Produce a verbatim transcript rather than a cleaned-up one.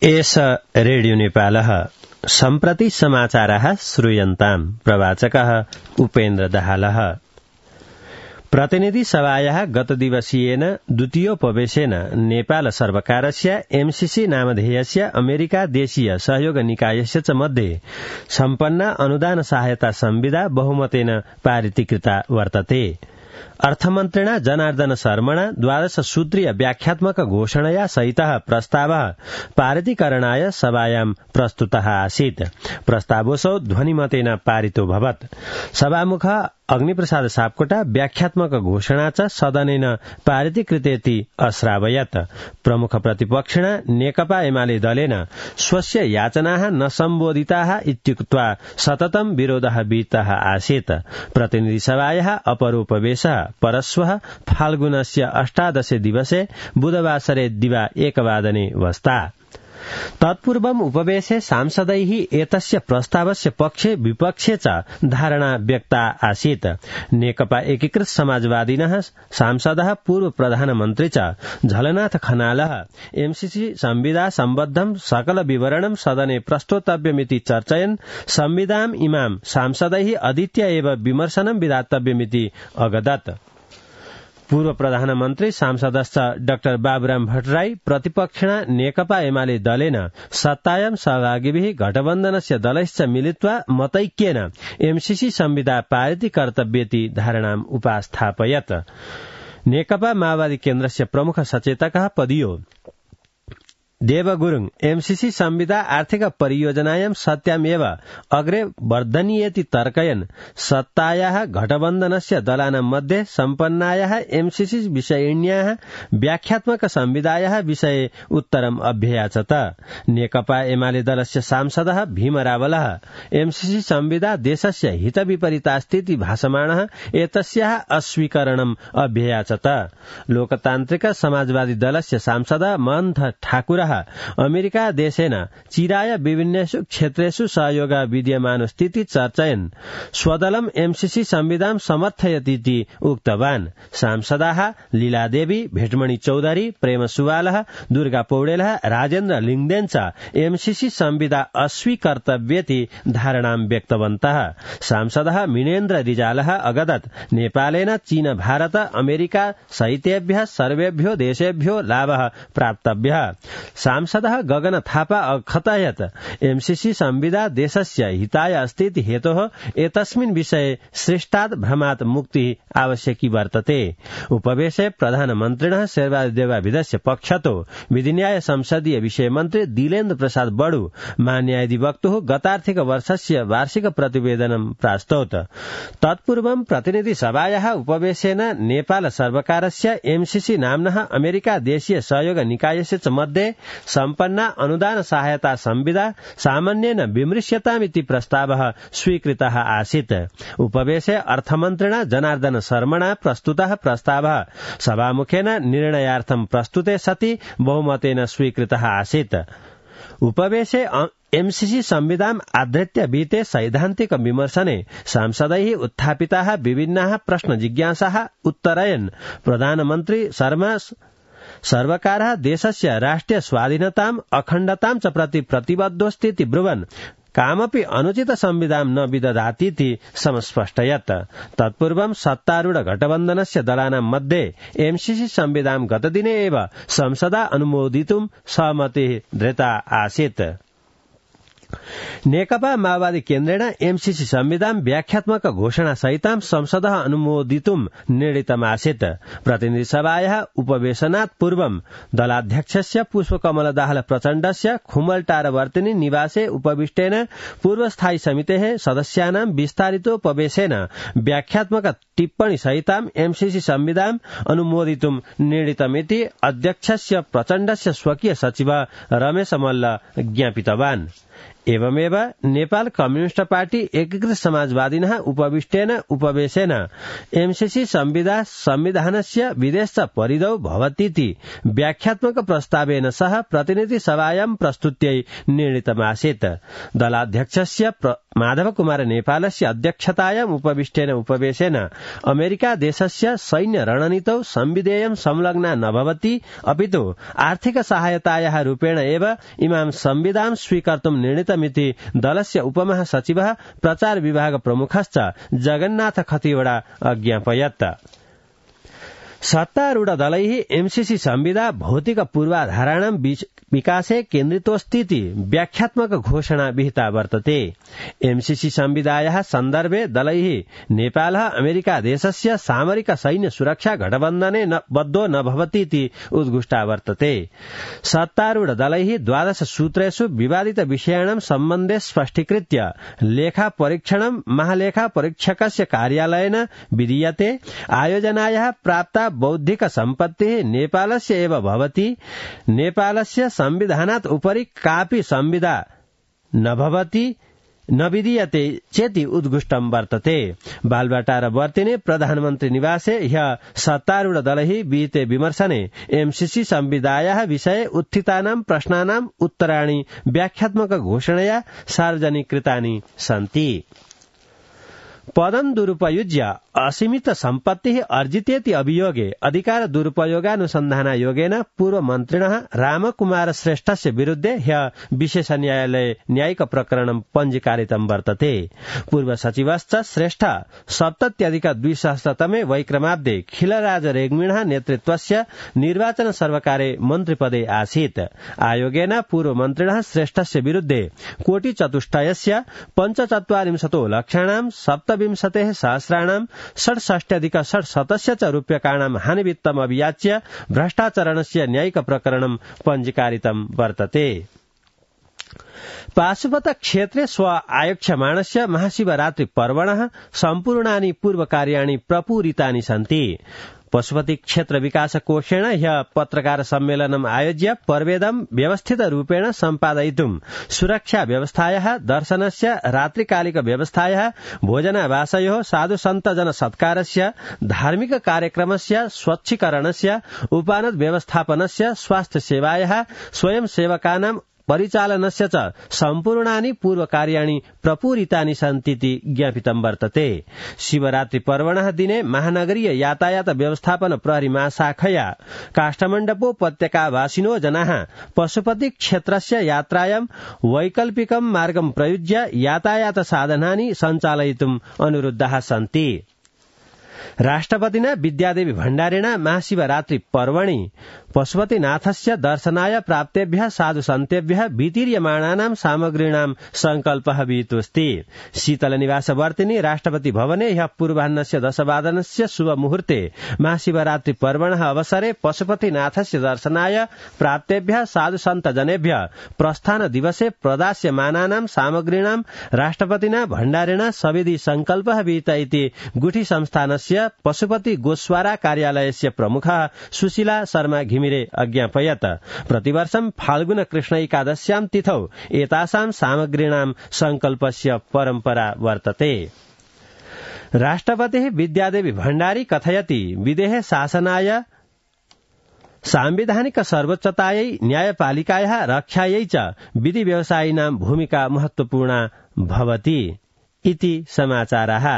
एष रेडियो नेपालः सम्प्रति समाचारः श्रूयन्ताम्। प्रवाचकः उपेन्द्र दाहालः। प्रतिनिधि सभायाः गतदिवसीयेन द्वितीयोपवेशेन नेपाल सर्वकारस्य एमसीसी नामधेयस्य अमेरिका देशीय सहयोग निकायस्य च मध्ये सम्पन्ना अनुदान सहायता संविदा बहुमतेन पारितीकृता वर्तते। अर्थमन्त्रिणा जनार्दन शर्मणा द्वादश सूत्रीय व्याख्यात्मक घोषणया सहितः प्रस्तावः पारितीकरणाय सभायां प्रस्तुतः आसीत्। प्रस्तावोऽसौ ध्वनिमतेन पारितोऽभवत्। सभामुख अग्निप्रसाद सापकोटा व्याख्यात्मक घोषणा च सदनेन पारितीकृतेति अश्रावयत्। प्रमुख प्रतिपक्षिणा नेकपा एमाले दलेन स्वस्य याचनाः न सम्बोधिताः इत्युक्त्वा सततं विरोधः विहितः आसीत्। प्रतिनिधिसभायाः अपरोपवेशः परश्वः फाल्गुनस्य अष्टादशे दिवसे बुधवासरे दिवा एकवादने वस्ता। तत्पूर्वम् उपवेशे सांसदैः एतस्य प्रस्तावस्य पक्षे विपक्षे च धारणा व्यक्ता आसीत्। नेकपा एकीकृत समाजवादिनः सांसदः पूर्व प्रधानमन्त्री च झलनाथ खनालः एमसीसी संविदा सम्बद्धं सकल विवरणं सदने प्रस्तोतव्यमिति चर्चयन् संविदाम् इमाम् सांसदैः अधीत्य एव विमर्शनं विधातव्यमिति अगदत्। पूर्व प्रधानमन्त्री सांसदश्च डाक्टर बाबुराम भट्टराई प्रतिपक्षिणा नेकपा एमाले दलेन सत्तायां सहभागिभिः गठबन्धनस्य दलैश्च मिलित्वा मतैक्येन एमसीसी संविदा पारितीकर्तव्येति धारणाम् उपास्थापयत्। नेकपा माओवादी केन्द्रस्य प्रमुख सचेतकः पदियो देव गुरुङ एमसीसी संविदा आर्थिक परियोजनायां सत्यामेव अग्रे वर्धनीयेति तर्कयन् सत्तायाः गठबन्धनस्य दलानां मध्ये सम्पन्नायाः एमसीसी विषयिण्याः व्याख्यात्मक संविदायाः विषये उत्तरम् अभ्ययाचत। नेकपा एमाले दलस्य सांसदः भीम रावलः एमसीसी संविदा देशस्य हितविपरीतास्तीति भाषमाणः एतस्याः अस्वीकरणम् अभ्ययाचत। लोकतान्त्रिक समाजवादी दलस्य सांसद महन्त ठाकुर अमेरिका देशेन चिराय विभिन्नेषु क्षेत्रेषु सहयोग विद्यमान स्थिति चर्चयन् स्वदलम् एमसीसी संविधान समर्थयतीति उक्तवान्। सांसदाः लीलादेवी, भेटमणि चौधरी, प्रेम सुवालः, दुर्गा पौडेलः, राजेन्द्र लिङदेन च एमसीसी संविदा अस्वीकर्तव्येति धारणां व्यक्तवन्तः। सांसदः मिनेन्द्र रिजालः अगदत् नेपालेन चीन, भारत, अमेरिका सहितेभ्यः सर्वेभ्यो देशेभ्यो लाभः प्राप्तव्यः। सांसदः गगन थापा अकथयत् एमसीसी संविदा देशस्य हिताय अस्तीति हेतोः एतस्मिन् विषये सृष्टात् भ्रमात् मुक्तिः आवश्यकी वर्तते। उपवेशे प्रधानमन्त्रिणः शेरबहादुर पक्षतो विधिन्याय संसदीय विषय मन्त्री दिलेन्द्र प्रसाद बडु महान्यायाधिवक्तुः गतार्थिक वर्षस्य वार्षिक प्रतिवेदनं प्रास्तौत। तत्पूर्वं प्रतिनिधि सभायाः उपवेशेन नेपाल सर्वकारस्य एमसीसी नाम्नः अमेरिका देशीय सहयोग निकायस्य च मध्ये सम्पन्ना अनुदान सहायता संविदा सामान्येन विमृश्यतामिति प्रस्तावः स्वीकृतः आसीत्। उपवेशे अर्थमन्त्रिणा जनार्दन शर्मणा प्रस्तुतः प्रस्तावः सभामुखेन निर्णयार्थं प्रस्तुते सति बहुमतेन स्वीकृतः आसीत्। उपवेशे एमसीसी संविधान आधृत्य विहिते सैद्धान्तिक विमर्शने सांसदैः उत्थापिताः विभिन्नाः प्रश्न जिज्ञासाः उत्तरयन् प्रधानमन्त्री शर्मा सर्वकारः देशस्य राष्ट्रिय स्वाधीनताम् अखण्डतां च प्रति प्रतिबद्धोऽस्तीति ब्रुवन् कामपि अनुचित संविधान न विदधातीति समस्पष्टयत्। तत्पूर्वं सत्तारूढ गठबन्धनस्य दलानां मध्ये एमसीसी संविधान गतदिने एव संसदा अनुमोदितुं सहमतिः दृता आसीत्। नेकपा माओवादी केन्द्रेण एमसीसी संविधान व्याख्यात्मक घोषणा सहितां संसदः अनुमोदितुं निर्णीतमासीत्। प्रतिनिधि सभायाः उपवेशनात् पूर्वं दलाध्यक्षस्य पुष्पकमल दाहाल प्रचण्डस्य खुमलटारवर्तिनी निवासे उपविष्टेन पूर्वस्थायी समितेः सदस्यानां विस्तारितोपवेशेन व्याख्यात्मक टिप्पणी सहितां एमसीसी संविधान अनुमोदितुं निर्णीतमिति अध्यक्षस्य प्रचण्डस्य स्वकीय सचिव रमेश मल्ल ज्ञापितवान्। एवमेव नेपाल कम्युनिस्ट पार्टी एकीकृत समाजवादिनः उपविष्टेन उपवेशेन एमसीसी संविदा संविधानस्य विदेश परिधौ भवतीति व्याख्यात्मक प्रस्तावेन सह प्रतिनिधि सभायां प्रस्तुत्यै निर्णीतमासीत्। दलाध्यक्षस्य माधव कुमार नेपालस्य अध्यक्षतायाम् उपविष्टेन उपवेशेन अमेरिका देशस्य सैन्य रणनीतौ संविधेयं संलग्ना न भवति अपितु आर्थिक सहायतायाः रूपेण एव इमां संविधां स्वीकर्तुं निर्णीतमिति दलस्य उपमहासचिवः प्रचार विभाग प्रमुखश्च जगन्नाथ खतिवड़ा अज्ञापयत्। सत्तारूढ़ दलैः एमसीसी संविदा भौतिक पूर्वाधाराणां विकासे केन्द्रितोऽस्तीति व्याख्यात्मक घोषणा विहिता वर्तते। एमसीसी संविदायाः सन्दर्भे दलैः नेपालः अमेरिका देशस्य सामरिक सैन्य सुरक्षा गठबन्धने बद्धो न भवतीति उद्घुष्टा वर्तते। सत्तारूढ़ दलैः द्वादश सूत्रेषु विवादित विषयाणां सम्बन्धे स्पष्टीकृत्य लेखा परीक्षणं महालेखा परीक्षकस्य कार्यालयेन विधीयते। आयोजनायाः प्राप्ता बौद्धिक सम्पत्तिः नेपालस्य एव भवति। नेपालस्य संविधानात् उपरि कापि संविदा न भवति न विधीयते चेति उद्घुष्टं वर्तते। बालबाटार वर्तिने प्रधानमन्त्री निवासे ह्यः सत्तारूढ़ दलैः विहिते विमर्शने एमसीसी संविदायाः विषये उत्थितानां प्रश्नानाम् उत्तराणि व्याख्यात्मक घोषणया सार्वजनिकृतानि सन्ति। पदं दुरुपयुज्य असीमित सम्पत्तिः अर्जितेति अभियोगे अधिकार दुरुपयोगानुसन्धानायोगेन पूर्व मन्त्रिणः रामकुमार श्रेष्ठस्य विरुद्धे ह्यः विशेष न्यायालये न्यायिक प्रकरणं पञ्जीकारितं वर्तते। पूर्व सचिवश्च श्रेष्ठ सप्तत्यधिक द्विसहस्रतमे वैक्रमाब्दे खिलराज रेग्मिणः नेतृत्वस्य निर्वाचन सर्वकारे मन्त्रिपदे आसीत्। आयोगेन पूर्व मन्त्रिणः श्रेष्ठस्य विरुद्धे कोटिचतुष्टयस्य पञ्चचत्वारिंशतो लक्षाणां सप्तविंशतेः सहस्राणां षट्षष्ट्यधिक षट्शतस्य च रूप्यकाणां हानिवित्तम् अभियाच्य भ्रष्टाचरणस्य न्यायिक प्रकरणं पञ्जीकारितं वर्तते। पाशुपत क्षेत्रे स्व आयोक्ष्यमाणस्य महाशिवरात्रि पर्वणः सम्पूर्णानि पूर्वकार्याणि प्रपूरितानि सन्ति। पशुपति क्षेत्र विकास कोषेण ह्यः पत्रकार सम्मेलनम् आयोज्य पर्वेदं व्यवस्थित रूपेण सम्पादयितुं सुरक्षा व्यवस्थायाः दर्शनस्य रात्रिकालिक व्यवस्थायाः भोजनावासयोः साधु सन्त जन सत्कारस्य धार्मिक कार्यक्रमस्य स्वच्छीकरणस्य उपानद व्यवस्थापनस्य स्वास्थ्य सेवायाः स्वयं सेवकानां परिचालनस्य च सम्पूर्णानि पूर्वकार्याणि प्रपूरितानि सन्तीति ज्ञापितं वर्तते। शिवरात्रि पर्वणः दिने महानगरीय यातायात व्यवस्थापन प्रहरी महाशाखया काष्ठमण्डपोपत्यकावासिनो जनाः पशुपति क्षेत्रस्य यात्रायां वैकल्पिकं मार्गं प्रयुज्य यातायात साधनानि सञ्चालयितुम् अनुरुद्धाः सन्ति। राष्ट्रपतिना विद्यादेवी भण्डारेण महाशिवरात्रि पर्वणि पशुपतिनाथस्य दर्शनाय प्राप्तेभ्यः साधु सन्तेभ्यः वितीर्यमाणानां सामग्रीणां संकल्पः विहितोऽस्ति। शीतलनिवास वर्तिनि राष्ट्रपति भवने ह्यः पूर्वाह्नस्य दशवादनस्य शुभ मुहूर्ते महाशिवरात्रि पर्वणः अवसरे पशुपतिनाथस्य दर्शनाय प्राप्तेभ्यः साधु सन्त जनेभ्यः प्रस्थान दिवसे प्रदास्यमानानां सामग्रीणां राष्ट्रपतिना भण्डारेण सविधि संकल्पः विहित इति गुठी संस्थानस्य पशुपति गोस्वारा कार्यालयस्य प्रमुखः सुशीला शर्मा घिमिरे अज्ञापयत्। प्रतिवर्षं फाल्गुन कृष्ण एकादश्यां तिथौ एतासां सामग्रीणां संकल्पस्य परम्परा वर्तते। राष्ट्रपतिः विद्यादेवी भण्डारी कथयति विदेहे शासनाय सांविधानिक सर्वोच्चतायै न्यायपालिकायाः रक्षायै च विधि व्यवसायिनां भूमिका महत्वपूर्णा भवति इति समाचारः।